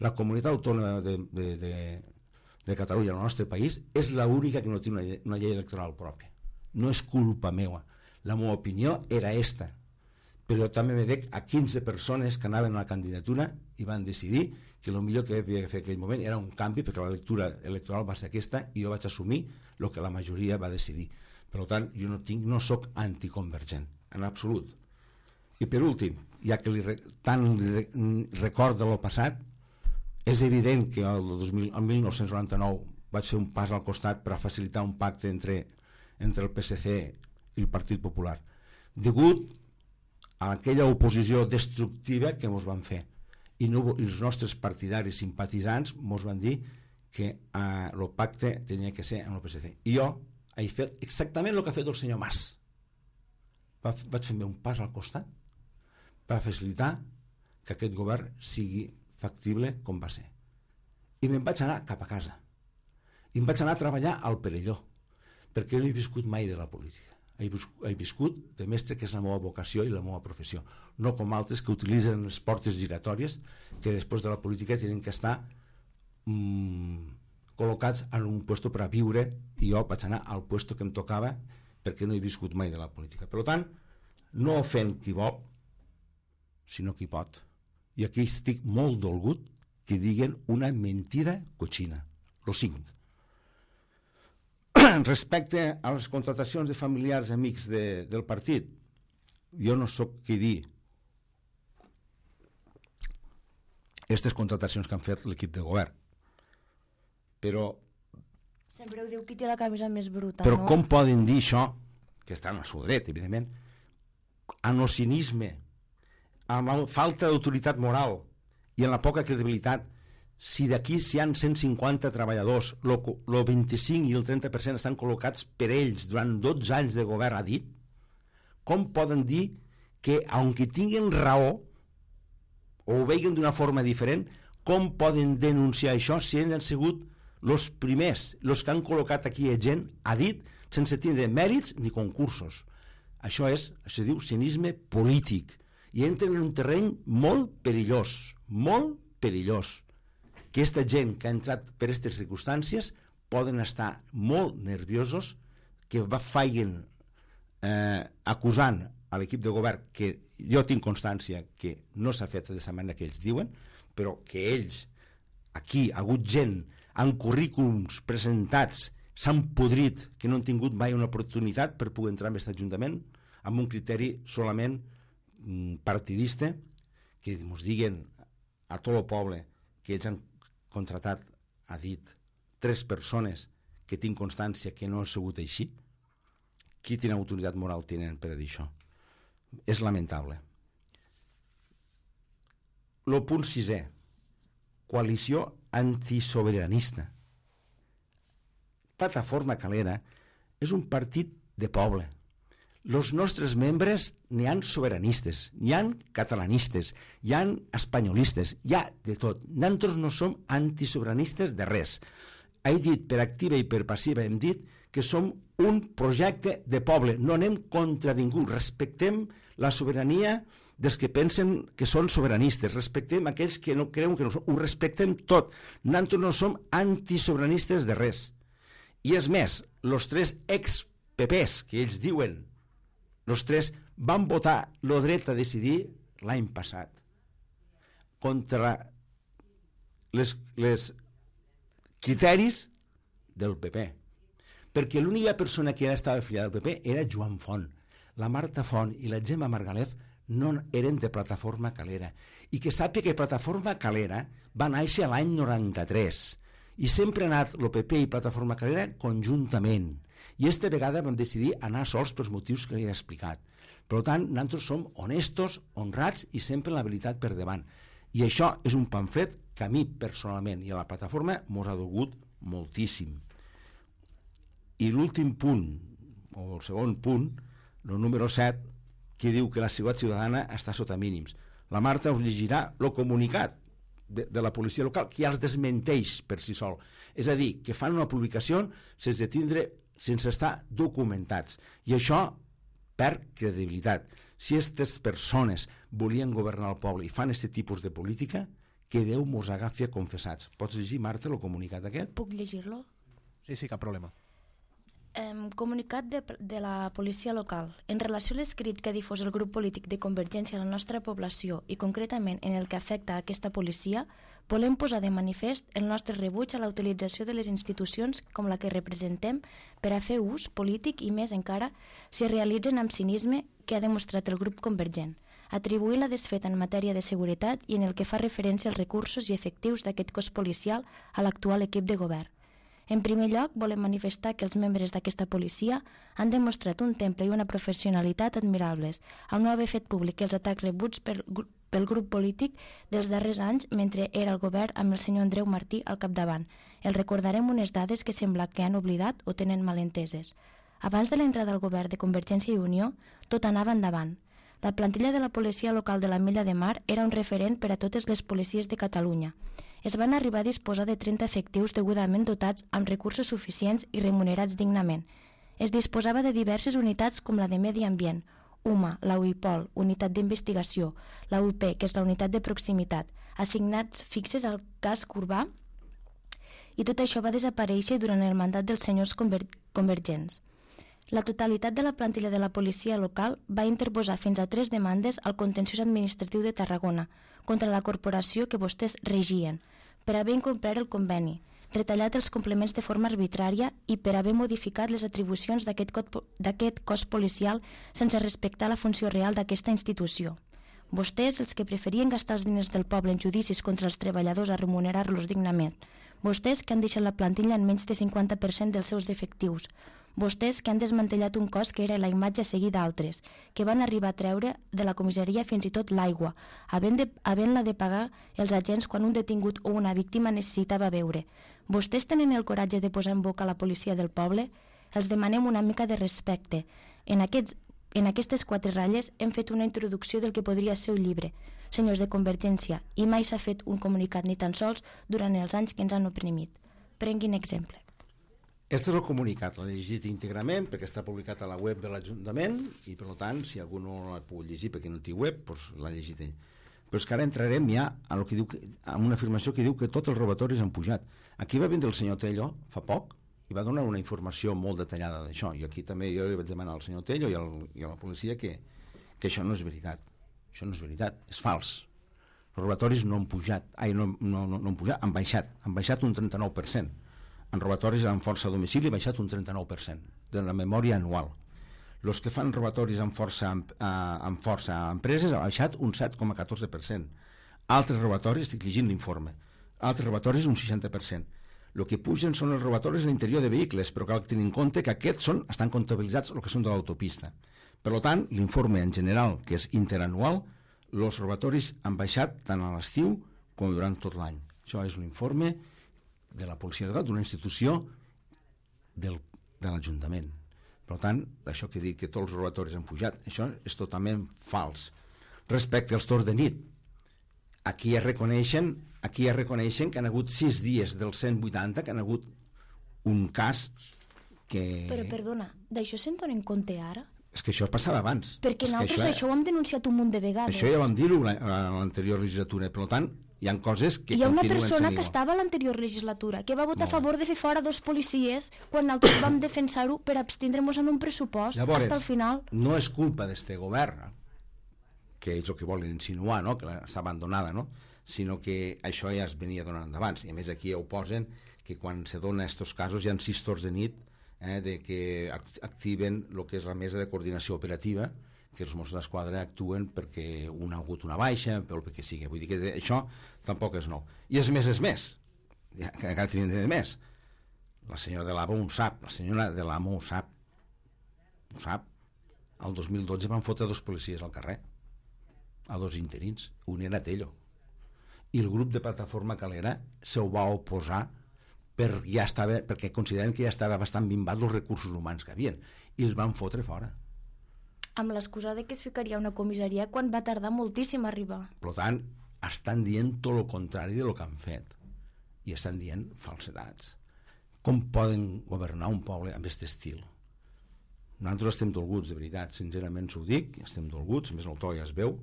La comunitat autònoma de Catalunya, el nostre país, és l'única que no té una llei electoral pròpia. No és culpa meva. La meva opinió era esta. Però també me dec a 15 persones que anaven a la candidatura i van decidir que el millor que havia de fer en aquell moment era un canvi, perquè la lectura electoral va ser aquesta i jo vaig assumir el que la majoria va decidir. Per tant, jo no soc anticonvergent, en absolut. I per últim, ja que tant record de lo passat, és evident que el 1999 vaig fer un pas al costat per a facilitar un pacte entre el PSC i el Partit Popular, degut a aquella oposició destructiva que ens van fer. I els nostres partidaris simpatitzants ens van dir que el pacte tenia que ser amb el PSC. I jo he fet exactament el que ha fet el senyor Mas. Vaig fer un pas al costat per facilitar que aquest govern sigui factible com va ser. I me'n vaig anar cap a casa. I em vaig anar a treballar al Perelló, perquè no he viscut mai de la política. He viscut de mestre, que és la meva vocació i la meva professió, no com altres que utilitzen les portes giratòries, que després de la política tenen que estar col·locats en un lloc per a viure, i jo vaig anar al lloc que em tocava perquè no he viscut mai de la política. Per tant, no ofèn qui vol, sinó qui pot. I aquí estic molt dolgut que diguen una mentida cotxina. Lo 5. Respecte a les contratacions de familiars amics del partit, jo no soc qui dir aquestes contratacions que han fet l'equip de govern, però sempre ho diu qui té la camisa més bruta, però no? Com poden dir això, que estan al seu dret, evidentment, amb el cinisme, amb la falta d'autoritat moral i amb la poca credibilitat? Si d'aquí hi ha 150 treballadors, el 25 i el 30% estan col·locats per ells durant 12 anys de govern, ha dit, com poden dir que, aunque tinguin raó o ho vegin d'una forma diferent, com poden denunciar això si ells han sigut els primers, els que han col·locat aquí gent, ha dit, sense tindre mèrits ni concursos? Això diu cinisme polític, i entren en un terreny molt perillós, que aquesta gent que ha entrat per aquestes circumstàncies poden estar molt nerviosos, que facin acusant a l'equip de govern, que jo tinc constància que no s'ha fet de la manera que ells diuen, però que ells, aquí ha hagut gent amb currículums presentats, s'han podrit, que no han tingut mai una oportunitat per poder entrar en aquest ajuntament, amb un criteri solament partidista, que ens diguen a tot el poble que ells han contratat, ha dit, 3 persones que tinc constància que no ha sigut així. Quina autoritat moral tenen per a dir això? És lamentable. El punt 6è, coalició antisoberanista. Plataforma Calera és un partit de poble. Els nostres membres n'hi han sobiranistes, n'hi han catalanistes, hi han espanyolistes, hi ha de tot. Nosaltres no som antisobiranistes de res. He dit per activa i per passiva, hem dit que som un projecte de poble, no anem contra ningú, respectem la sobirania dels que pensen que són sobiranistes, respectem aquells que no creuen que no són, ho respectem tot. Nosaltres no som antisobiranistes de res. I és més, els 3 ex-PPs que ells diuen, els 3 van votar el dret a decidir l'any passat contra les criteris del PP, perquè l'única persona que estava afiliada al PP era Joan Font. La Marta Font i la Gemma Margalef no eren de Plataforma Calera, i que sàpiga que Plataforma Calera va néixer l'any 93 i sempre ha anat el PP i Plataforma Calera conjuntament, i aquesta vegada vam decidir anar sols pels motius que he explicat. Per tant, nosaltres som honestos, honrats i sempre la veritat per davant. I això és un pamflet que a mi personalment i a la plataforma mos ha dolgut moltíssim. I l'últim punt, o el segon punt, el número 7, que diu que la seguretat ciutadana està sota mínims. La Marta us llegirà el comunicat de la policia local, que ja els desmenteix per si sol. És a dir, que fan una publicació sense estar documentats. I això perd credibilitat. Si aquestes persones volien governar el poble i fan aquest tipus de política, que Déu mos agafi confessats. Pots llegir, Marta, el comunicat aquest? Puc llegir-lo? Sí, cap problema. Comunicat de la policia local. En relació a l'escrit que ha difós el grup polític de Convergència a la nostra població i concretament en el que afecta a aquesta policia, volem posar de manifest el nostre rebuig a la utilització de les institucions com la que representem per a fer ús polític i més encara si es realitzen amb cinisme que ha demostrat el grup convergent, atribuir la desfeta en matèria de seguretat i en el que fa referència als recursos i efectius d'aquest cos policial a l'actual equip de govern. En primer lloc, volem manifestar que els membres d'aquesta policia han demostrat un temple i una professionalitat admirables, al no haver fet públic els atacs rebuts pel grup polític dels darrers anys mentre era al govern amb el senyor Andreu Martí al capdavant. Els recordarem unes dades que sembla que han oblidat o tenen malenteses. Abans de l'entrada al govern de Convergència i Unió, tot anava endavant. La plantilla de la policia local de l'Ametlla de Mar era un referent per a totes les policies de Catalunya. Es van arribar a disposar de 30 efectius degudament dotats amb recursos suficients i remunerats dignament. Es disposava de diverses unitats com la de Medi Ambient, UMA, la UIPOL, Unitat d'Investigació, la UIP, que és la Unitat de Proximitat, assignats fixes al casc urbà, i tot això va desaparèixer durant el mandat dels senyors convergents. La totalitat de la plantilla de la policia local va interposar fins a 3 demandes al contenciós administratiu de Tarragona contra la corporació que vostès regien, per haver incomplert el conveni, retallat els complements de forma arbitrària i per haver modificat les atribucions d'aquest cos policial sense respectar la funció real d'aquesta institució. Vostès, els que preferien gastar els diners del poble en judicis contra els treballadors a remunerar-los dignament. Vostès que han deixat la plantilla en menys de 50% dels seus efectius. Vostès que han desmantellat un cos que era la imatge a seguir d'altres, que van arribar a treure de la comissaria fins i tot l'aigua, havent-la de pagar els agents quan un detingut o una víctima necessitava beure. Vostès tenen el coratge de posar en boca la policia del poble? Els demanem una mica de respecte. En aquestes 4 ratlles hem fet una introducció del que podria ser un llibre, senyors de Convergència, i mai s'ha fet un comunicat ni tan sols durant els anys que ens han oprimit. Prenguin exemple. Aquest és el comunicat, l'he llegit íntegrament perquè està publicat a la web de l'Ajuntament i per tant si algú no l'ha pogut llegir perquè no té web, doncs l'ha llegit ell. Però és que ara entrarem ja a una afirmació que diu que tots els robatoris han pujat. Aquí va vindre el senyor Tello fa poc i va donar una informació molt detallada d'això, i aquí també jo li vaig demanar al senyor Tello i a la policia que això no és veritat. Això no és veritat, és fals. Els robatoris no han pujat, han baixat un 39%. En robatoris amb força a domicili ha baixat un 39% de la memòria anual. Els que fan robatoris amb força a empreses ha baixat un 7,14%. Altres robatoris, estic llegint l'informe, altres robatoris un 60%. El que pugen són els robatoris a l'interior de vehicles, però cal tenir en compte que aquests estan comptabilitzats el que són de l'autopista. Per tant, l'informe en general, que és interanual, els robatoris han baixat tant a l'estiu com durant tot l'any. Això és un informe de la policia local, d'una institució de l'Ajuntament. Per tant, això que dic que tots els robatoris han pujat, això és totalment fals. Respecte als torns de nit, aquí ja reconeixen que han hagut 6 dies dels 180, que han hagut un cas que... Però, perdona, d'això se'n donen compte ara? És que això passava abans. Perquè nosaltres això ho hem denunciat un munt de vegades. Això ja vam dir-ho a l'anterior legislatura. Per tant, hi ha coses que hi ha una continuen persona sent que igual. estava a l'anterior legislatura que va votar a favor de fer fora 2 policies quan nosaltres vam defensar-ho per abstindre-nos en un pressupost. Llavors, fins al final. No és culpa d'este govern, que és el que volen insinuar, no? Que està abandonada, no? Sinó que això ja es venia donant d'abans. I a més aquí ja ho posen, que quan se dona aquests casos hi ha 6 torns de nit de que activen el que és la mesa de coordinació operativa, que els Mossos d'Esquadra actuen perquè un ha hagut una baixa, pel que sigui. Vull dir que això tampoc és nou. I és més. Ja, encara tenim de més. La senyora de l'AMO ho sap, la senyora de l'AMO ho sap. Ho sap. El 2012 van fotre 2 policies al carrer, a 2 interins. Un era Tello. I el grup de Plataforma Calera se ho va oposar perquè consideren que ja estava bastant minvat els recursos humans que havien, i els van fotre fora. Amb l'excusa de que es ficaria una comissaria quan va tardar moltíssim a arribar. Per tant, estan dient tot el contrari de lo que han fet, i estan dient falsedats. Com poden governar un poble amb aquest estil? Nosaltres estem dolguts, de veritat, sincerament s'ho dic, estem dolguts, a més el to ja es veu,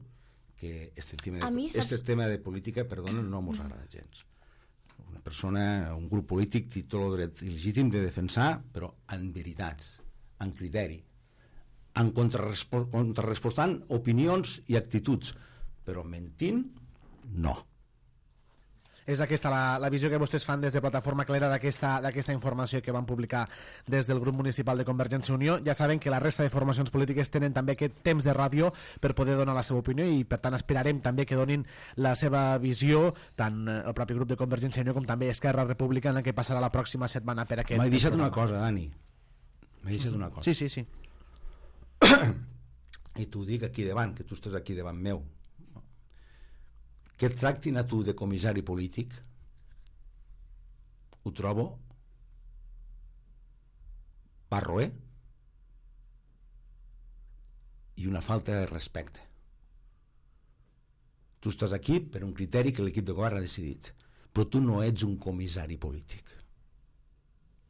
que este tema de política, perdona, no mos agrada gens. Una persona, un grup polític té tot el dret il·legítim de defensar, però en veritats, en criteri, en contrarrespostant opinions i actituds, però mentint, no. És aquesta la visió que vostès fan des de Plataforma Calera d'aquesta informació que van publicar des del grup municipal de Convergència i Unió. Ja saben que la resta de formacions polítiques tenen també aquest temps de ràdio per poder donar la seva opinió, i per tant esperarem també que donin la seva visió, tant el propi grup de Convergència i Unió com també Esquerra Republicana, que passarà la pròxima setmana per aquest programa. M'he deixat programa. una cosa, Dani. M'he deixat una cosa. Sí. I t'ho dic aquí davant, que tu estàs aquí davant meu. Que et tractin a tu de comissari polític, ho trobo barroer i una falta de respecte. Tu estàs aquí per un criteri que l'equip de govern ha decidit, però tu no ets un comissari polític.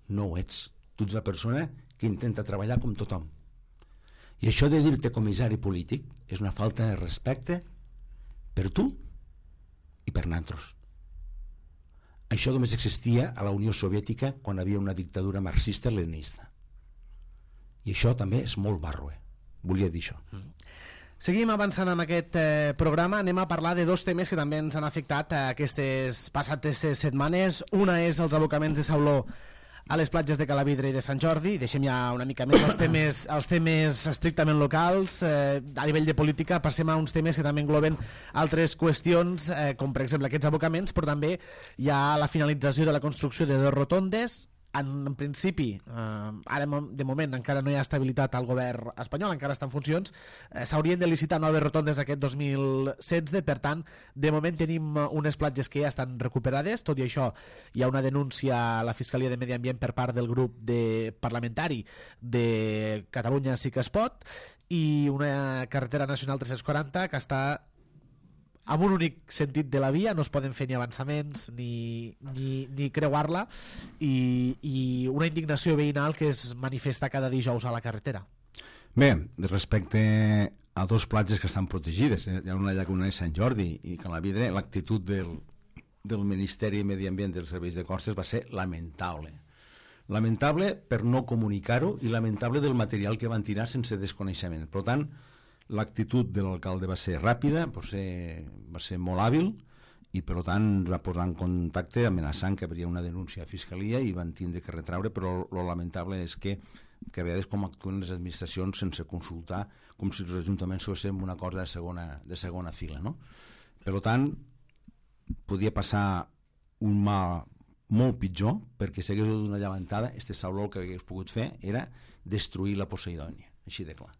No ho ets. Tu ets una persona que intenta treballar com tothom. I això de dir-te comissari polític és una falta de respecte per tu i per nosaltres. Això només existia a la Unió Soviètica quan hi havia una dictadura marxista-leninista. I això també és molt barroer. Volia dir això. Seguim avançant amb aquest programa. Anem a parlar de 2 temes que també ens han afectat aquestes passades setmanes. Una és els abocaments de sauló a les platges de Calavidre i de Sant Jordi. Deixem ja una mica més els temes estrictament locals. A nivell de política passem a uns temes que també engloben altres qüestions, com per exemple aquests abocaments, però també hi ha la finalització de la construcció de 2 rotondes. En principi, ara de moment encara no hi ha estabilitat al govern espanyol, encara està en funcions, s'haurien de licitar noves rotondes aquest 2016, per tant, de moment tenim unes platges que ja estan recuperades. Tot i això, hi ha una denúncia a la Fiscalia de Medi Ambient per part del grup parlamentari de Catalunya Sí que es pot, i una carretera nacional 340 que està amb un únic sentit de la via, no es poden fer ni avançaments ni creuar-la, i una indignació veïnal que es manifesta cada dijous a la carretera. Bé, respecte a 2 platges que estan protegides, hi ha una llaguna de Sant Jordi i Calavidre, l'actitud del Ministeri de Medi Ambient dels Serveis de Costes va ser lamentable. Lamentable per no comunicar-ho i lamentable del material que van tirar sense desconeixement. Per tant, l'actitud de l'alcalde va ser ràpida, va ser molt hàbil, i per tant va posar en contacte amenaçant que hi hauria una denúncia a Fiscalia i van tindre que retraure, però lo lamentable és que a vegades com actuen les administracions sense consultar, com si els ajuntaments fossin una cosa de segona fila, no? Per tant, podia passar un mal molt pitjor, perquè si hagués hagut una llevantada, sauló el que hagués pogut fer era destruir la Poseidònia, així de clar,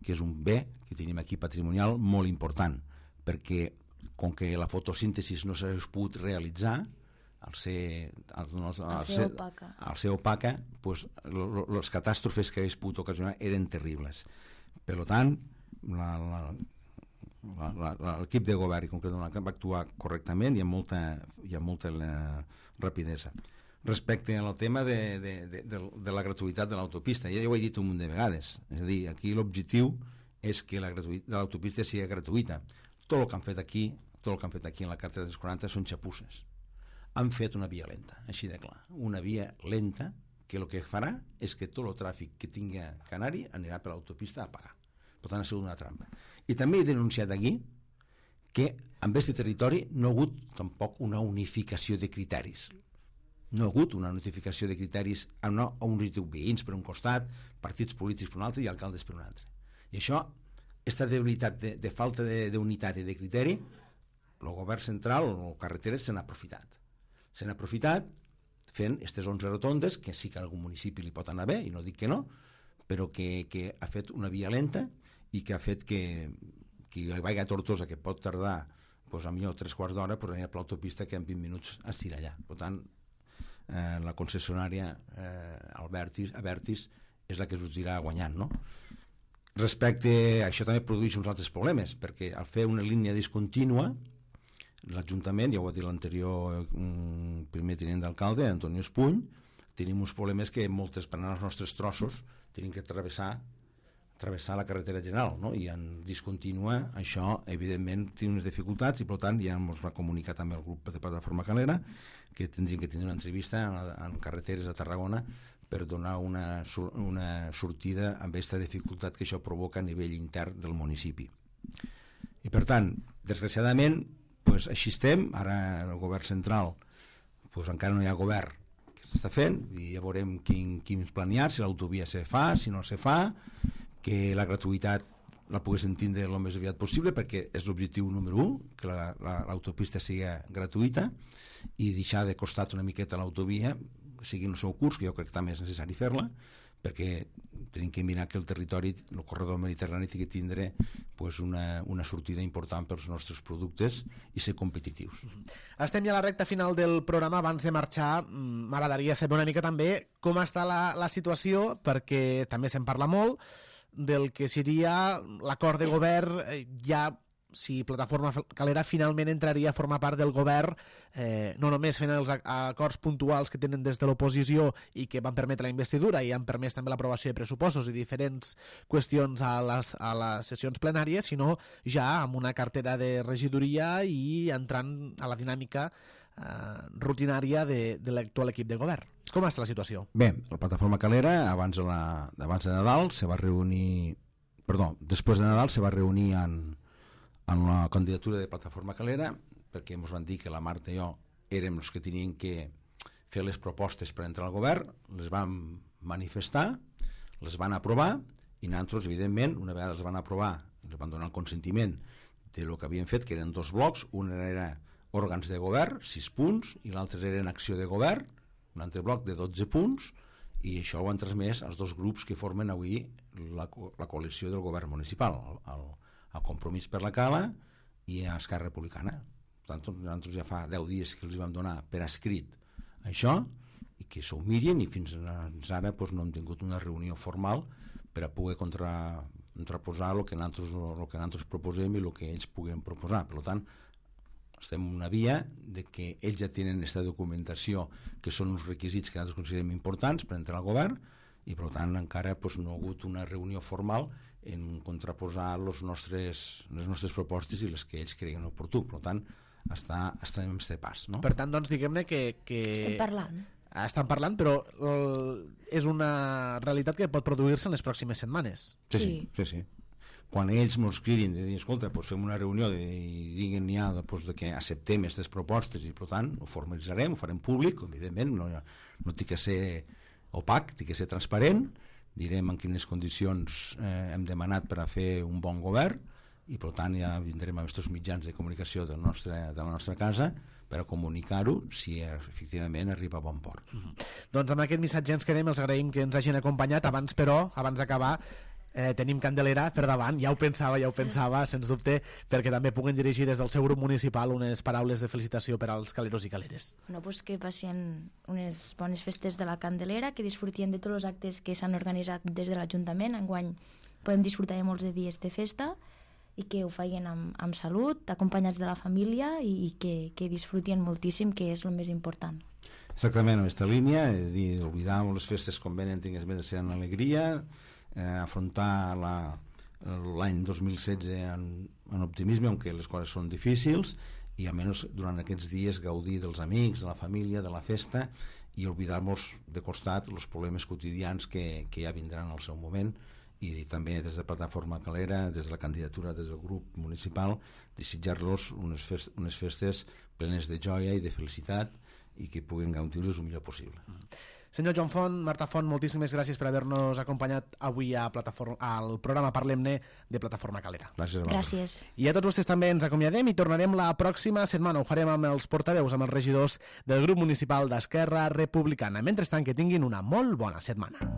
que és un bé que tenim aquí patrimonial molt important, perquè com que la fotosíntesi no s'hagués pogut realitzar, al ser opaca, pues, les catàstrofes que hagués pogut ocasionar eren terribles. Per tant, l'equip de govern i concretament va actuar correctament i amb molta rapidesa. Respecte al tema de la gratuïtat de l'autopista, ja ho he dit un munt de vegades, és a dir, aquí l'objectiu és que l'autopista sigui gratuïta. Tot el que han fet aquí en la carretera dels 40 són xapusses. Han fet una via lenta, així de clar, una via lenta que el que farà és que tot el tràfic que tingui Canari anirà per l'autopista a pagar. Per tant, ha sigut una trampa. I també he denunciat aquí que en aquest territori no ha hagut tampoc una unificació de criteris. No ha hagut una notificació de criteris a uns veïns per un costat, partits polítics per un altre i alcaldes per un altre. I això, aquesta debilitat de falta d'unitat i de criteri, el govern central o carreteres se n'ha aprofitat. Se n'ha aprofitat fent aquestes 11 rotondes, que sí que a algun municipi li pot anar bé, i no dic que no, però que ha fet una via lenta i que ha fet que qui vagi a Tortosa, que pot tardar a millor 3/4 d'hora, anirà per l'autopista que en 20 minuts estirà allà. Per tant, la concessionària Abertis és la que sortirà guanyant, no? Respecte a això també produeix uns altres problemes, perquè al fer una línia discontínua, l'Ajuntament, ja ho va dir l'anterior primer tinent d'alcalde, Antonio Espuny, tenim uns problemes que moltes, per anar als nostres trossos, tenim que travessar la carretera general, no? I en discontínua això, evidentment, té unes dificultats i, per tant, ja ens va comunicar també el grup de Plataforma Calera que tindrien que tenir una entrevista en carreteres a Tarragona per donar una sortida amb aquesta dificultat que això provoca a nivell intern del municipi. I, per tant, desgraciadament, així estem. Ara el govern central encara no hi ha govern que s'està fent i ja veurem quins planear, si l'autovia se fa, si no se fa, que la gratuïtat la poguessin tindre el més aviat possible, perquè és l'objectiu número 1, que l'autopista sigui gratuïta i deixar de costat una miqueta l'autovia, sigui en el seu curs, que jo crec que també és necessari fer-la, perquè tenim que mirar que el territori, el corredor mediterrani, tingui que tindre una sortida important pels nostres productes i ser competitius. Estem ja a la recta final del programa. Abans de marxar, m'agradaria saber una mica també com està la situació, perquè també se'n parla molt del que seria l'acord de govern, ja si Plataforma Calera finalment entraria a formar part del govern, no només fent els acords puntuals que tenen des de l'oposició i que van permetre la investidura i han permès també l'aprovació de pressupostos i diferents qüestions a les sessions plenàries, sinó ja amb una cartera de regidoria i entrant a la dinàmica rutinària de l'actual equip de govern. Com està la situació? Bé, la Plataforma Calera abans de Nadal després de Nadal se va reunir en la candidatura de Plataforma Calera, perquè ens van dir que la Marta i jo érem els que tenien que fer les propostes per entrar al govern, les vam manifestar, les van aprovar i nosaltres, evidentment, una vegada les van aprovar, ens van donar el consentiment del que havien fet, que eren 2 blocs, un era òrgans de govern, 6 punts, i l'altre era acció de govern, un altre bloc de 12 punts, i això ho han transmès als 2 grups que formen avui la coalició del govern municipal, el Compromís per la Cala i a Esquerra Republicana. Per tant, nosaltres ja fa 10 dies que els vam donar per escrit això i que s'ho mirin, i fins ara no hem tingut una reunió formal per a poder contraposar el que nosaltres proposem i el que ells puguen proposar. Per tant, estem en una via de que ells ja tenen aquesta documentació, que són uns requisits que nosaltres considerem importants per entrar al govern, i per tant encara no ha hagut una reunió formal en contraposar les nostres propostes i les que ells creien oportú. Per tant, estem en aquest pas, no? Per tant, doncs, diguem-ne que... Estem parlant. Estan parlant, però és una realitat que pot produir-se en les pròximes setmanes. Sí. Quan ells ens cridin de dir, escolta, fem una reunió i diguin ja que acceptem aquestes propostes, i per tant ho formalitzarem, ho farem públic, evidentment, no té que ser opac, té que ser transparent, direm en quines condicions hem demanat per a fer un bon govern, i per tant ja vindrem amb aquests mitjans de comunicació de la nostra casa per a comunicar-ho si efectivament arriba a bon port. Doncs amb aquest missatge ens quedem, els agraïm que ens hagin acompanyat. Abans d'acabar, tenim Candelera per davant, ja ho pensava, sens dubte, perquè també puguen dirigir des del seu grup municipal unes paraules de felicitació per als caleros i caleres. Bueno, pues que passin unes bones festes de la Candelera, que disfrutien de tots els actes que s'han organitzat des de l'Ajuntament. Enguany podem disfrutar de molts de dies de festa i que ho facin amb salut, acompanyats de la família i que disfrutien moltíssim, que és el més important. Exactament, en aquesta línia, oblidar les festes com venen, tingues més de ser en alegria, afrontar l'any 2016 en optimisme, aunque les coses són difícils, i almenys durant aquests dies gaudir dels amics, de la família, de la festa, i oblidar-nos de costat els problemes quotidians que ja vindran al seu moment, i també des de Plataforma Calera, des de la candidatura, des del grup municipal, desitjar-los unes festes plenes de joia i de felicitat i que puguen gaudir-los el millor possible. Senyor Joan Font, Marta Font, moltíssimes gràcies per haver-nos acompanyat avui al programa Parlem-ne de Plataforma Calera. Gràcies. I a tots vostès també ens acomiadem i tornarem la pròxima setmana. Ho farem amb els portaveus, amb els regidors del grup municipal d'Esquerra Republicana. Mentrestant, que tinguin una molt bona setmana.